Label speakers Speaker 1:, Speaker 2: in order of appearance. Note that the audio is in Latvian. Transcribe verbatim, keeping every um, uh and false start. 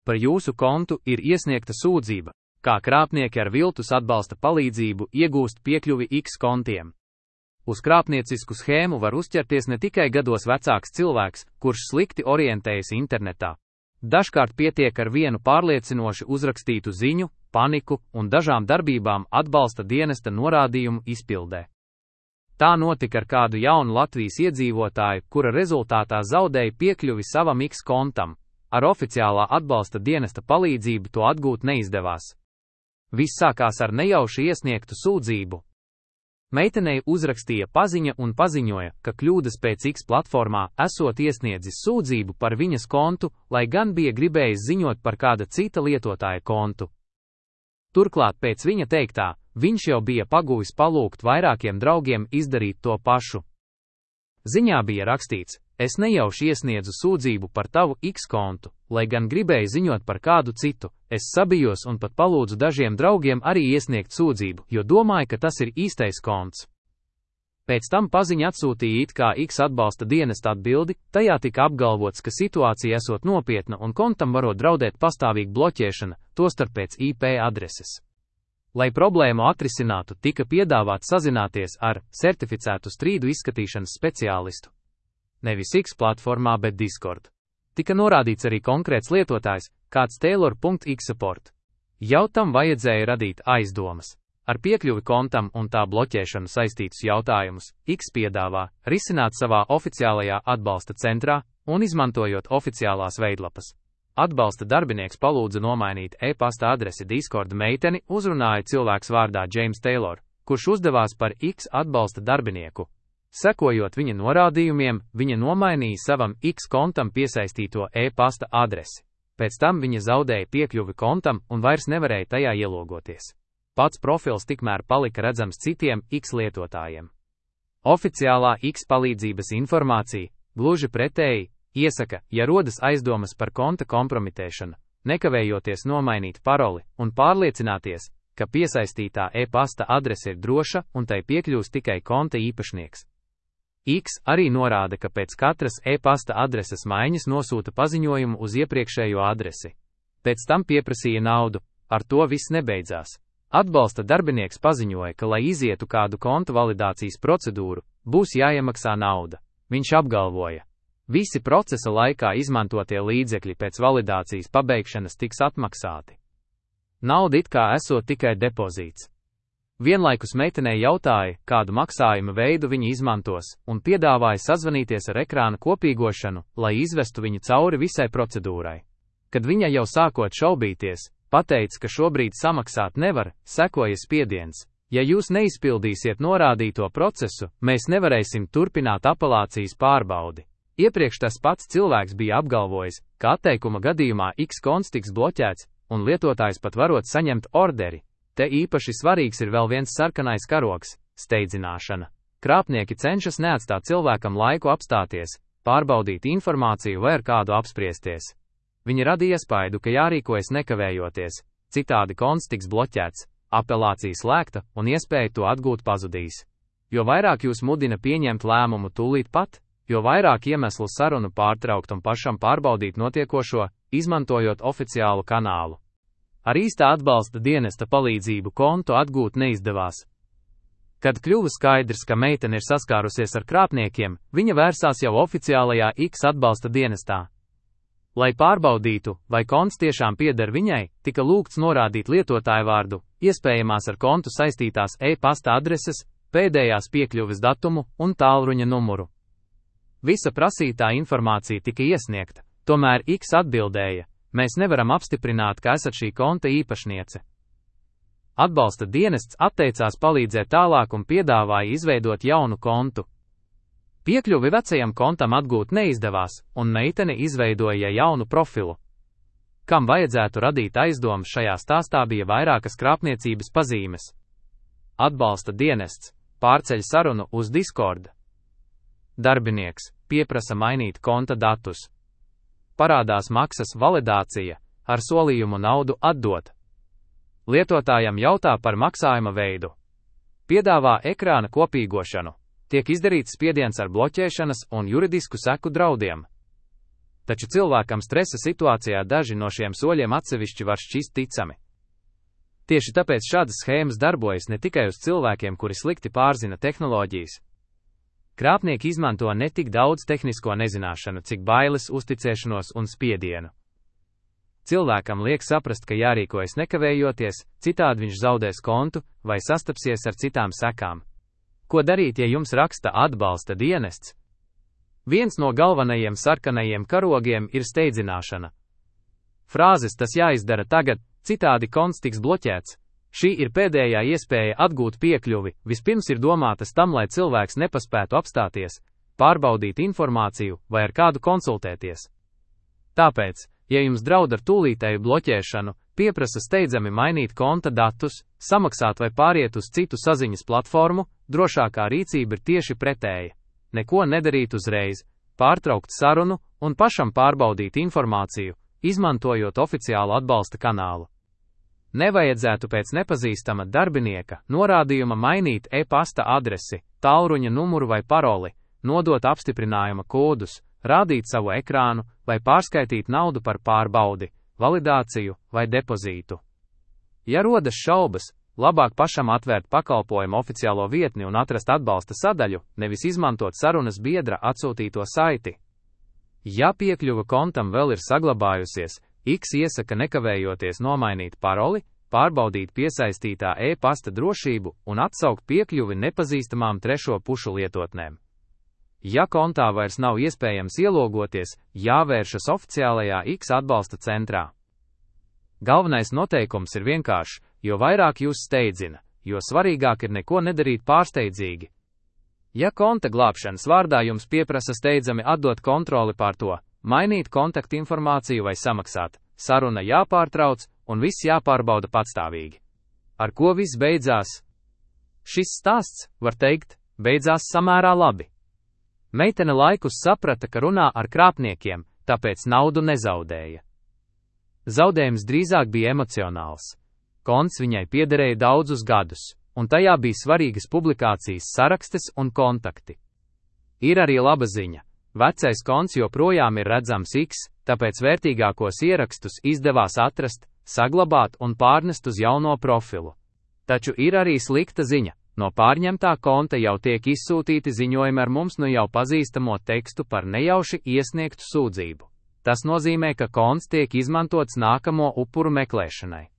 Speaker 1: Par jūsu kontu ir iesniegta sūdzība, kā krāpnieki ar viltus atbalsta palīdzību iegūst piekļuvi X kontiem. Uz krāpniecisku schēmu var uzķerties ne tikai gados vecāks cilvēks, kurš slikti orientējas internetā. Dažkārt pietiek ar vienu pārliecinoši uzrakstītu ziņu, paniku un dažām darbībām atbalsta dienesta norādījumu izpildē. Tā notika ar kādu jaunu Latvijas iedzīvotāju, kura rezultātā zaudēja piekļuvi savam X kontam. Ar oficiālā atbalsta dienesta palīdzību to atgūt neizdevās. Viss sākās ar nejauši iesniegtu sūdzību. Meitenei uzrakstīja paziņa un paziņoja, ka kļūdas pēc X platformā esot iesniedzis sūdzību par viņas kontu, lai gan bija gribējis ziņot par kāda cita lietotāja kontu. Turklāt pēc viņa teiktā, viņš jau bija paguvis palūgt vairākiem draugiem izdarīt to pašu. Ziņā bija rakstīts: es nejauši iesniedzu sūdzību par tavu X kontu, lai gan gribēju ziņot par kādu citu, es sabijos un pat palūdzu dažiem draugiem arī iesniegt sūdzību, jo domāju, ka tas ir īstais konts. Pēc tam paziņa atsūtīja it kā X atbalsta dienesta atbildi, tajā tika apgalvots, ka situācija esot nopietna un kontam varot draudēt pastāvīga bloķēšana, tostarp pēc I P adreses. Lai problēmu atrisinātu, tika piedāvāts sazināties ar certificētu strīdu izskatīšanas speciālistu. Nevis X platformā, bet Discord. Tika norādīts arī konkrēts lietotājs, kāds Taylor.xsupport. Jau tam vajadzēja radīt aizdomas. Ar piekļuvi kontam un tā bloķēšanu saistītus jautājumus X piedāvā risināt savā oficiālajā atbalsta centrā un izmantojot oficiālās veidlapas. Atbalsta darbinieks palūdza nomainīt e-pasta adresi Discord meiteni, uzrunāja cilvēks vārdā James Taylor, kurš uzdevās par X atbalsta darbinieku. Sekojot viņa norādījumiem, viņa nomainīja savam X kontam piesaistīto e-pasta adresi. Pēc tam viņa zaudēja piekļuvi kontam un vairs nevarēja tajā ielogoties. Pats profils tikmēr palika redzams citiem X lietotājiem. Oficiālā X palīdzības informācija, gluži pretēji, iesaka, ja rodas aizdomas par konta kompromitēšanu, nekavējoties nomainīt paroli un pārliecināties, ka piesaistītā e-pasta adrese ir droša un tai piekļūs tikai konta īpašnieks. X arī norāda, ka pēc katras e-pasta adreses maiņas nosūta paziņojumu uz iepriekšējo adresi. Pēc tam pieprasīja naudu, ar to viss nebeidzās. Atbalsta darbinieks paziņoja, ka, lai izietu kādu konta validācijas procedūru, būs jāiemaksā nauda. Viņš apgalvoja: visi procesa laikā izmantotie līdzekļi pēc validācijas pabeigšanas tiks atmaksāti. Nauda it kā esot tikai depozīts. Vienlaikus meitenei jautāja, kādu maksājuma veidu viņa izmantos, un piedāvāja sazvanīties ar ekrāna kopīgošanu, lai izvestu viņu cauri visai procedūrai. Kad viņa jau sākot šaubīties, pateica, ka šobrīd samaksāt nevar, sekoja spiediens. Ja jūs neizpildīsiet norādīto procesu, mēs nevarēsim turpināt apelācijas pārbaudi. Iepriekš tas pats cilvēks bija apgalvojis, ka atteikuma gadījumā X konts tiks bloķēts, un lietotājs pat varot saņemt orderi. Te īpaši svarīgs ir vēl viens sarkanais karogs – steidzināšana. Krāpnieki cenšas neatstāt cilvēkam laiku apstāties, pārbaudīt informāciju vai ar kādu apspriesties. Viņi radīja iespaidu, ka jārīkojas nekavējoties, citādi konts tiks bloķēts, apelācija slēgta un iespēja to atgūt pazudīs. Jo vairāk jūs mudina pieņemt lēmumu tūlīt pat, jo vairāk iemeslu sarunu pārtraukt un pašam pārbaudīt notiekošo, izmantojot oficiālu kanālu. Ar īstā atbalsta dienesta palīdzību kontu atgūt neizdevās. Kad kļuva skaidrs, ka meitene ir saskārusies ar krāpniekiem, viņa vērsās jau oficiālajā X atbalsta dienestā. Lai pārbaudītu, vai konts tiešām pieder viņai, tika lūgts norādīt lietotāju vārdu, iespējamās ar kontu saistītās e-pasta adreses, pēdējās piekļuves datumu un tālruņa numuru. Visa prasītā informācija tika iesniegta, tomēr X atbildēja: mēs nevaram apstiprināt, ka esat šī konta īpašniece. Atbalsta dienests atteicās palīdzēt tālāk un piedāvāja izveidot jaunu kontu. Piekļuvi vecajam kontam atgūt neizdevās, un meitene izveidoja jaunu profilu. Kam vajadzētu radīt aizdomas šajā stāstā, bija vairākas krāpniecības pazīmes. Atbalsta dienests pārceļ sarunu uz Discord. Darbinieks pieprasa mainīt konta datus. Parādās maksas validācija, ar solījumu naudu atdot. Lietotājam jautā par maksājuma veidu. Piedāvā ekrāna kopīgošanu. Tiek izdarīts spiediens ar bloķēšanas un juridisku seku draudiem. Taču cilvēkam stresa situācijā daži no šiem soļiem atsevišķi var šķist ticami. Tieši tāpēc šādas schēmas darbojas ne tikai uz cilvēkiem, kuri slikti pārzina tehnoloģijas. Krāpnieki izmanto ne tik daudz tehnisko nezināšanu, cik bailes, uzticēšanos un spiedienu. Cilvēkam liek saprast, ka jārīkojas nekavējoties, citādi viņš zaudēs kontu vai sastapsies ar citām sekām. Ko darīt, ja jums raksta atbalsta dienests? Viens no galvenajiem sarkanajiem karogiem ir steidzināšana. Frāzes "tas jāizdara tagad, citādi konts tiks bloķēts". Šī ir pēdējā iespēja atgūt piekļuvi, vispirms ir domātas tam, lai cilvēks nepaspētu apstāties, pārbaudīt informāciju vai ar kādu konsultēties. Tāpēc, ja jums draud ar tūlītēju bloķēšanu, pieprasa steidzami mainīt konta datus, samaksāt vai pāriet uz citu saziņas platformu, drošākā rīcība ir tieši pretēja. Neko nedarīt uzreiz, pārtraukt sarunu un pašam pārbaudīt informāciju, izmantojot oficiālu atbalsta kanālu. Nevajadzētu pēc nepazīstama darbinieka norādījuma mainīt e-pasta adresi, tālruņa numuru vai paroli, nodot apstiprinājuma kodus, rādīt savu ekrānu vai pārskaitīt naudu par pārbaudi, validāciju vai depozītu. Ja rodas šaubas, labāk pašam atvērt pakalpojumu oficiālo vietni un atrast atbalsta sadaļu, nevis izmantot sarunas biedra atsūtīto saiti. Ja piekļuva kontam vēl ir saglabājusies, X iesaka nekavējoties nomainīt paroli, pārbaudīt piesaistītā e-pasta drošību un atsaukt piekļuvi nepazīstamām trešo pušu lietotnēm. Ja kontā vairs nav iespējams ielogoties, jāvēršas oficiālajā X atbalsta centrā. Galvenais noteikums ir vienkāršs, jo vairāk jūs steidzina, jo svarīgāk ir neko nedarīt pārsteidzīgi. Ja konta glābšanas vārdā jums pieprasa steidzami atdot kontroli pār to, mainīt kontaktinformāciju vai samaksāt, saruna jāpārtrauc un viss jāpārbauda patstāvīgi. Ar ko viss beidzās? Šis stāsts, var teikt, beidzās samērā labi. Meitene laikus saprata, ka runā ar krāpniekiem, tāpēc naudu nezaudēja. Zaudējums drīzāk bija emocionāls. Konts viņai piederēja daudzus gadus, un tajā bija svarīgas publikācijas sarakstes un kontakti. Ir arī laba ziņa. Vecais konts joprojām ir redzams X, tāpēc vērtīgākos ierakstus izdevās atrast, saglabāt un pārnest uz jauno profilu. Taču ir arī slikta ziņa. No pārņemtā konta jau tiek izsūtīti ziņojumi ar mums nu jau pazīstamo tekstu par nejauši iesniegtu sūdzību. Tas nozīmē, ka konts tiek izmantots nākamo upuru meklēšanai.